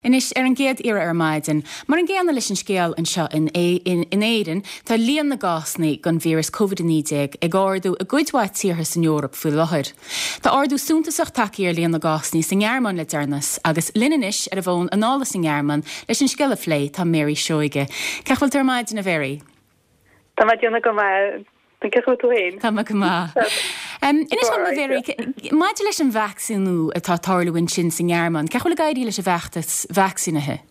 Anois, ar an gcéad iarraidh ar maidin, mar an gcéanna leis an scéal anseo in in Éirinn, tá líon na gcásanna den víreas Covid-19 ag ardú i gcuid mhaith tíortha san Eoraip faoi láthair. Tá ardú suntasach tagtha ar líon na gcásanna sa nGearmáin le deireanas agus linn anois ar an bhfón anall as an nGearmáin leis an scéal a phlé tá Mary Seoige. Cén chaoi a bhfuil tú ar maidin, a Mhary? Tá mé ag déanamh go maith. Cén chaoi a bhfuil tú féin? Tá mé go maith. Inis dom, a Mhary, maidir leis an vacsaíniú atá ag tarlú ansin sa nGearmáin, cén chaoi a bhfuil ag éirí leis an bhfeachtas vacsaínithe?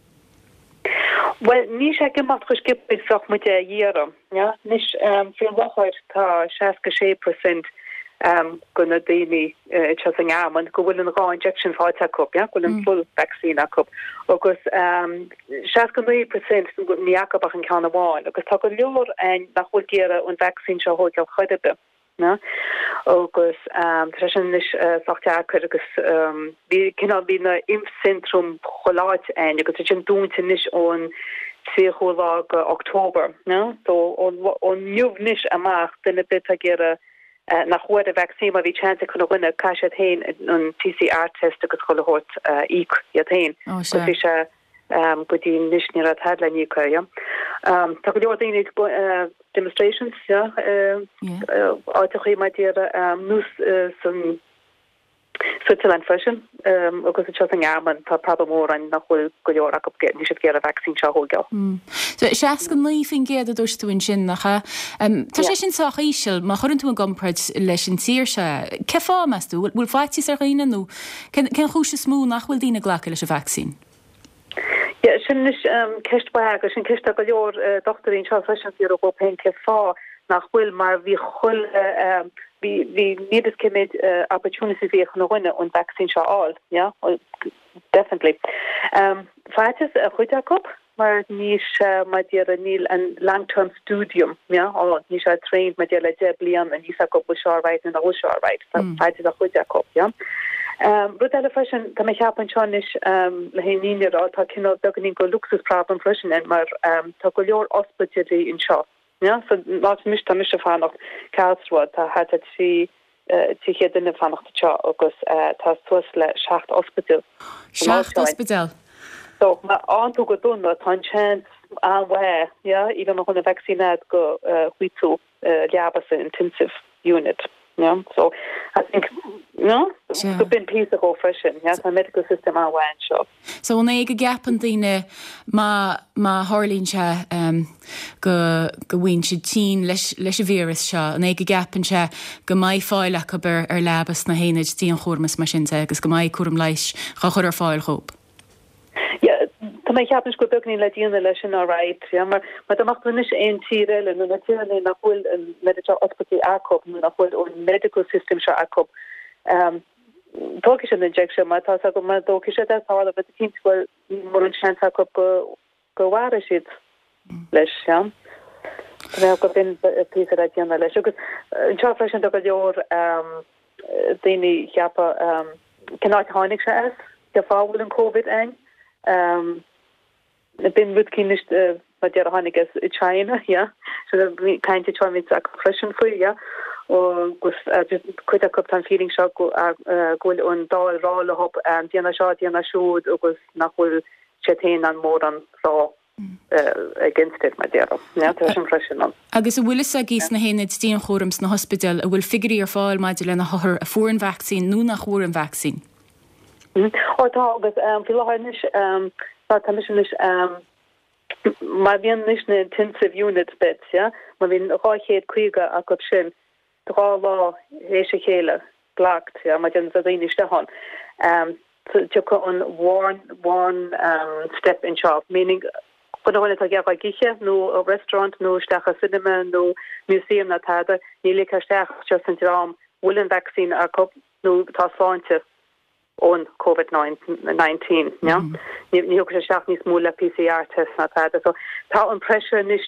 Bhuel, níl sé ag imeacht chomh sciobtha is bheadh muid a iarraidh. Anois, faoi láthair tá 66% de na daoine anseo sa nGearmáin go bhfuil an 2 injection faighte acu, go bhfuil an full vaccine acu, agus 69% níl acu ach an ceann amháin, agus tá go leor ann nach bhfuil ag iarraidh an vaccine seo a thóigeáil chor ar bith. Agus tá sé sin anois sách deacair agus bhí cineál, bhí na Impfzentrum chuile áit ann agus tá sin dúnta anois ón 30ú lá de October. So ó inniu anois amach duine ar bith atá ag iarraidh nach bhfuair an vaccine má bhí chance ag chuile dhuine caithfidh siad féin an PCR test agus chuile shórt a íoc iad féin. Agus bhí sé go dtí anois ní raibh tada le n-íoc air. Tá go leor daoine ag demonstrations yeah áiteachaí mar déarfá nós san Switzerland freisin agus anseo sa nGearmáin tá problem mór ann nach bhfuil go leor acu, níl siad ag iarraidh vaccine seo a thóigeáil. So 69% a dúirt tú ansin, nach ea? Tá sé sin sách íseal má chuireann tú i gcomparáid leis an tír seo é. Cén fáth, meas tú? Bhfuil faitíos ar dhaoine nó cén chúis is mó nach bhfuil daoine ag glacadh leis an vacsaín? Yeah, sin anois ceist mhaith agus sin ceist ag go leor dochtúirí anseo freisin ag iarraidh dhóibh féin cén fáth nach bhfuil mar bhí chuile bhí bhí níl fhios cé méid opportunities a bhí ag chuile dhuine an vaccine seo a fháil, yeah, definitely. Faitíos ar chuid acu mar níl sé mar déarfá níl an long term studium, yeah, ann, níl sé trained mar déarfá le 10 bliana níl fhios acu bhfuil seo alright nó nach bhfuil seo alright, tá faitíos ar chuid acu, yeah. Rud eile freisin, tá mé ag ceapadh anseo anois le an fhírinne a rá, tá cineál beagáinín de luxus problem freisin ann mar tá go leor ospidéilí anseo. Yeah, so an áit anois tá mise ag fanacht, Karlsruhe, tá thart ar 300 duine ag fanacht anseo agus tá suas le 7 ospidéal san áit 7 seo. ospidéal? So má fhaigheann tú go dona, tá an chance an-mhaith, yeah, even má bhíonn an vaccine agat go bhfaighidh tú leaba sa intensive unit, yeah. So I think, no, go b'in píosa dhó freisin, yeah, tá an medical system an-mhaith anseo. So an é go gceapann daoine má, má tharlaíonn sé go, go bhfaigheann siad tinn leis, leis an víreas seo, an é go gceapann sé go mbeidh fáil acu ar, ar leaba sna haonaid dianchúraim is mar sin de agus go mbeidh cúram leighis á chur ar fáil dhóibh? Yeah, tá mé ag ceapadh anois go bhfuil beagáinín le déanamh leis sin alright, yeah, mar, mar dá mbeadh tú anois aon tír eile nó na tíortha nach bhfuil an méid seo ospidéil acu nó nach bhfuil an medical system seo acu, um, tógfaidh siad an injection mar tá a fhios acu má thógfaidh siad é tharla rud eicínt bhuel níl mórán seans acu go go mhairfidh siad leis, yeah. Tá mé ag ceapadh go b'in píosa le déanamh leis agus anseo freisin tá go leor um, daoine ag ceapadh um, cén áit a tháinig sé as, cén fáth a bhfuil an Covid ann. Um, B'in rud eicínt anois mar déarfá tháinig as China, yeah. So bhí caint anseo bhí acu freisin faoi, yeah. Agus cuid acu tá an feeling seo go bhfuil an Dáil ag rá leo déan é seo, déan é siúd agus nach bhfuil siad féin in ann mórán rá against it mar déarfá. Yeah, tá sin freisin ann. Agus an bhfuil fhios agaibh sna haonaid dianchúraim sna hospidéil, an bhfuil figiúirí ar fáil maidir le na hothair a fuair an vacsaín nó nach bhfuair an vacsaín? Ó tá agus faoi láthair anois tá tá mise anois má bhíonn anois na intensive unit beds yeah má bhíonn 250 acu sin dhá lá théis a chéile blocked yeah má théann daoine isteach ann tiocfaidh an warn warn step anseo meaning chuile dhuine atá ag iarraidh ag ithe nó restaurant nó isteach i cinema nó museum nó tada ní ligfear isteach ach just an dream bhfuil an vaccine acu nó tá sláinte ón Covid 19, yeah? Ní thiocfaidh sé isteach níos mó le PCR test ná tada. So tá an pressure anois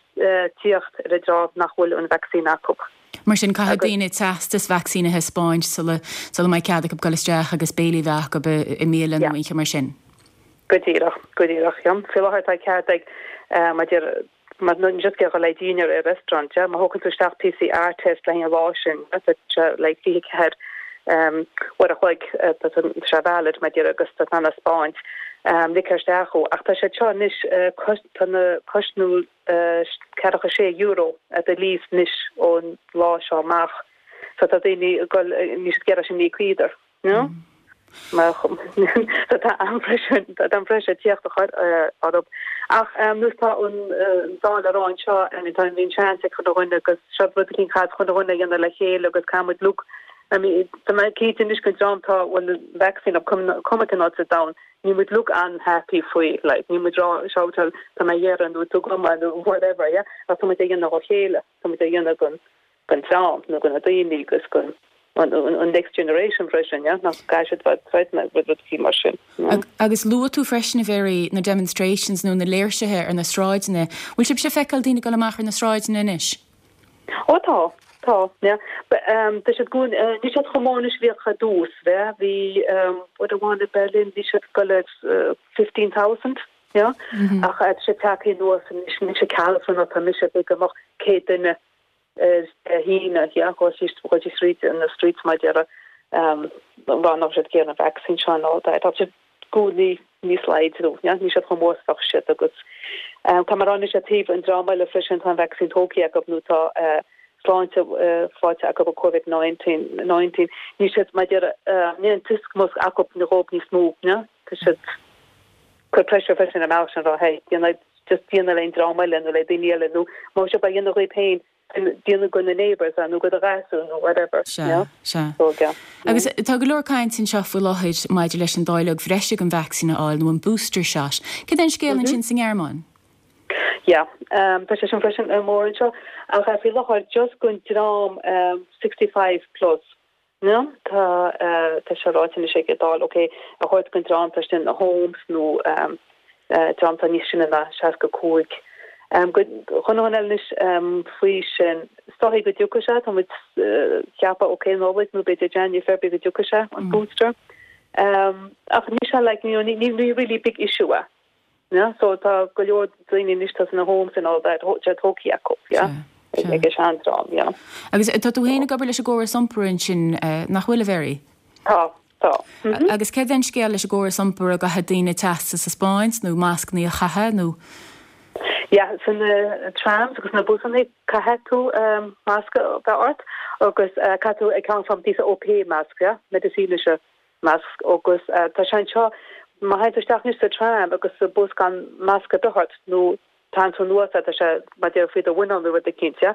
tíocht ar an dream nach bhfuil an vaccine acu. Mar sin caithfidh daoine teastas vacsaín a thaispeáint sula sula mbeidh cead acu dul isteach agus béilí a bheith acu i mbialann nó aon cheo mar sin. Go díreach, go díreach, yeah. Faoi láthair tá cead ag, mar deir, Má nó just ag dul le dinner i restaurant, yeah, má thógann tú isteach PCR test le haghaidh an lá sin, tá sé like 24 uair a chloig, tá sé valid mar déarfá agus tá tú in ann a 'speáint. Ligtear isteach thú. Ach tá siad seo anois, tá na cosnú €46 ar do lease anois ón lá seo amach. So tá daoine ag dul, níl siad ag iarraidh sin a íoc either, you know? Mar so tá an-pressure, tá an-pressure ag tíocht orthu. Ach nós tá an Dáil ag rá anseo, I mean tá bhí an seans ag chuile dhuine agus seo rud eicínt caithfidh chuile dhuine a dhéanamh le chéile agus caithfidh muid look I mean, tá mé cinnte anois go dream tá bhfuil an vaccine acu cuma cén áit sa domhan, níl muid uilig an-happy faoi, like, níl muid rá shoutáil tá mé ag iarraidh nó tugaim nó whatever, yeah, ach tá muid á dhéanamh dá chéile, tá muid á dhéanamh don don dream nó do na daoine agus don an an next generation freisin, yeah, nach gcaithfidh siad bheith threatened with rudaí mar sin, yeah. Agus luaigh tú freisin, a Mhary, na demonstrations nó na léirsithe ar na sráideanna. Bhfuil sibhse ag feiceáil daoine ag dul amach ar na sráideanna anois? Ó tá, tá, yeah. Tá siad go, níl siad chomh mór anois a bhíodh ar dtús, yeah. Bhí, uair amháin i Berlin bhí siad ag dul ar 15,000, yeah. Ach tá siad tagtha anuas anois, anois i Karlsruhe tá mise ag go mbeadh 100 duine ar Dé hAoine, yeah, dhul síos, dhul síos thríd na streets mar a déarfá, rá nach raibh siad ag iarraidh an vaccine seo and all that. Tá siad go níos laghad, yeah, níl siad chomh mór is a bheadh siad agus tá mé ag rá anois ar taobh an dream eile freisin tá an vaccine tógtha acu nó tá sláinte faighte acu ó Covid-19, 19, níl siad mar a déarfá, níl an tuiscint acu dhóibh níos mó, yeah, tá siad cur pressure freisin ar an mbealach sin rá hey, déanamh just déanamh le an dream eile nó le daoine eile nó má bhí sibh á dhéanamh dhaoibh féin déanamh do na neighbours nó do do ghasúr nó whatever. Sea, sea. Agus tá go leor cainte anseo faoi láthair maidir leis an dáileog bhreise den vacsaín a fháil nó an booster shot. Cad é an scéal ansin sa nGearmáin? Yeah, tá sé sin freisin mór anseo ach faoi láthair just don dream 65 plus. No, tá, tá sé ráite anois ag an Dáil, ok, a thabhairt don dream atá istigh in homes nó dream atá níos sine ná 65. Go, chuile dhuine eile anois faoi sin, is dóichí go dtiocfaidh sé, tá muid ag ceapadh, ok, Nollaig nó b'fhéidir January, February go dtiocfaidh sé, an booster. Ach níl sé like, you know, ní, ní really big issue é. Yeah, so tá go leor daoine anois tá sna homes and all that, tá tógtha acu, yeah, ag an seandream, yeah. Agus tá tú féin ag obair leis an gcóras iompair ansin, nach bhfuil, a Mhary? Tá, tá. Agus céard é an scéal leis an gcóras iompair, an gcaithfidh daoine teastas a 'spáint nó mascannaí a chaitheamh nó? Yeah, sna trams agus na busannaí caithfidh tú masc a bheith ort agus caithfidh tú ag ceann from diese OP mask, yeah, medizinische masc agus tá sé anseo má théann tú isteach anois sa tram agus sa bus gan masc ar bith ort nó tarraingt tú anuas é tá sé mar a déarfá faoi do mhuineál nó rud eicínt yeah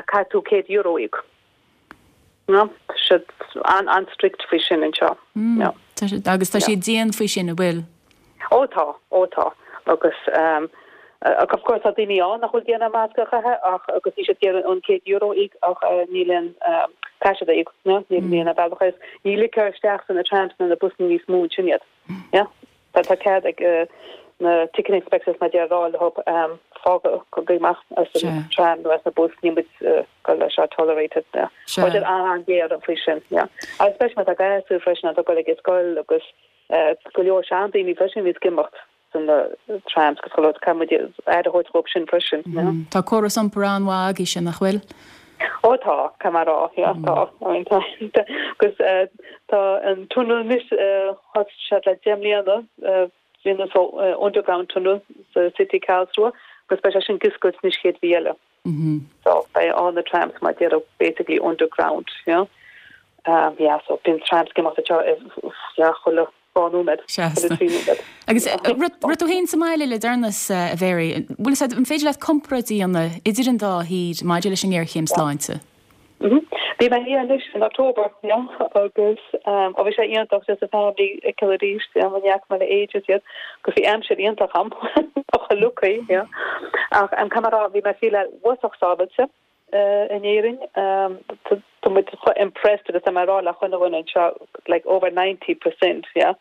caithfidh tú €100 a íoc. No, tá siad an-strict faoi sin anseo. No. Tá siad agus tá siad dian faoi sin, an bhfuil? Ó tá, ó tá. Agus of course tá daoine ann nach bhfuil ag iarraidh masc a chaitheamh ach agus níl siad ag iarraidh an €100 a íoc ach níl aon caithfidh siad a íoc, no, níl níl aon bhealach as. Ní ligtear isteach sna trams nó na busanna níos mó ansin iad. Yeah. Tá tá cead ag na ticket inspectors mar a déarfá a rá leo fág amach as an tram nó as na bus níl muid ag dul leis seo tolerated. Yeah. Tá siad an-ghéar faoi sin. Yeah. Agus especially má tá gasúir freisin atá ag dul ag an scoil agus go leor seandaoine freisin a bhíos ag imeacht sna trams agus chuile shórt, caithfidh muid aire a thabhairt dhóibh sin freisin, you know. Tá córas iompair an-mhaith agaibhse, nach bhfuil? Ó tá, caithfidh mé a rá, yeah, tá. I mean tá, agus tá an tunnel anois, thosaigh siad le 10 mbliana, déanamh so underground tunnel sa city Karlsruhe agus beidh sé sin ag oscailt anois chéad mhí eile. So beidh all na trams mar a déarfá basically underground, you know. Um, yeah, so bíonn trams ag imeacht anseo yeah, chuile dhá nóiméad, chuile trí nóiméad. Agus raibh tú féin sa mbaile le deireanas, a Mhary, bhfuil fhios agat, an féidir leat comparáid a dhéanamh idir an dá thír maidir leis an ngéarchéim sláinte? Bhí mé thiar anois in October, yeah, agus um, ó bhí sé iontach just an family a fheiceáil arís, yeah, ní fhaca mé le ages iad, agus bhí aimsir iontach ann, chomh lucky, yeah. Ach um, caithfidh mé a rá, bhí mé ag feel uafásach sábháilte uh, in Éirinn, um, tá muid chomh impressed agus tá mé ag rá le chuile dhuine anseo, like over 90%, yeah.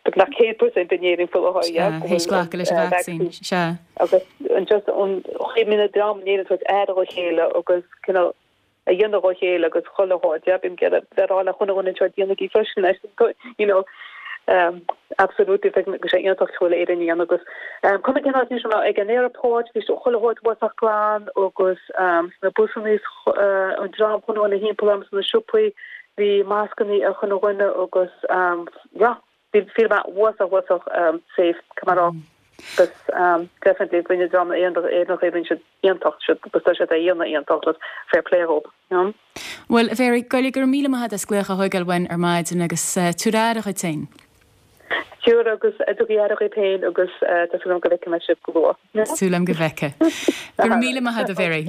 Beagnach 100% in Éirinn faoi láthair, yeah, go bhfuil an leis an vaccine, sea. Agus an just an chaoi a mbíonn an dream in Éirinn ag tabhairt aire dá chéile agus cineál a dhéanamh dá chéile agus chuile shórt, yeah, bím ag iarraidh bheith ag rá le chuile dhuine anseo déanaigí freisin é, you know, um, absolutely, feicim go sé iontach go bhfuil Éirinn a dhéanamh agus um, cuma cén áit anois ag an airport, bhí chuile shórt uafásach glan agus um, sna busanna uh, an dream chuile dhuine thimpeall orm sna siopaí, Bhí mascannaí ar chuile dhuine agus yeah. Feel mé uafásach uafásach safe come on off agus definitely rinne dream Éireannacha rinne siad iontach siad agus tá siad á dhéanamh iontach agus fair play dhób you know. Bhuel a Mhary, go raibh míle maith agat as glaoch a thógáil uainn ar maidin agus tabhair aire dhuit féin. Sure agus tugaigí aire dhaoibh féin agus tá súil agam go bhfeicfidh mé sibh go luath. Súil agam go bhfeicfidh. Go raibh míle maith agat a Mhary.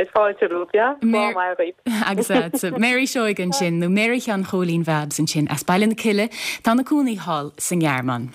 Is fáilte romhat, yeah? Lá maith dhaoibh. Agus agatsa. Mary Seoige ansin, nó Mary Sheáin Chóilín Bhabs ansin as Baile na Cille, atá ina cónaí thall sa nGearmáin.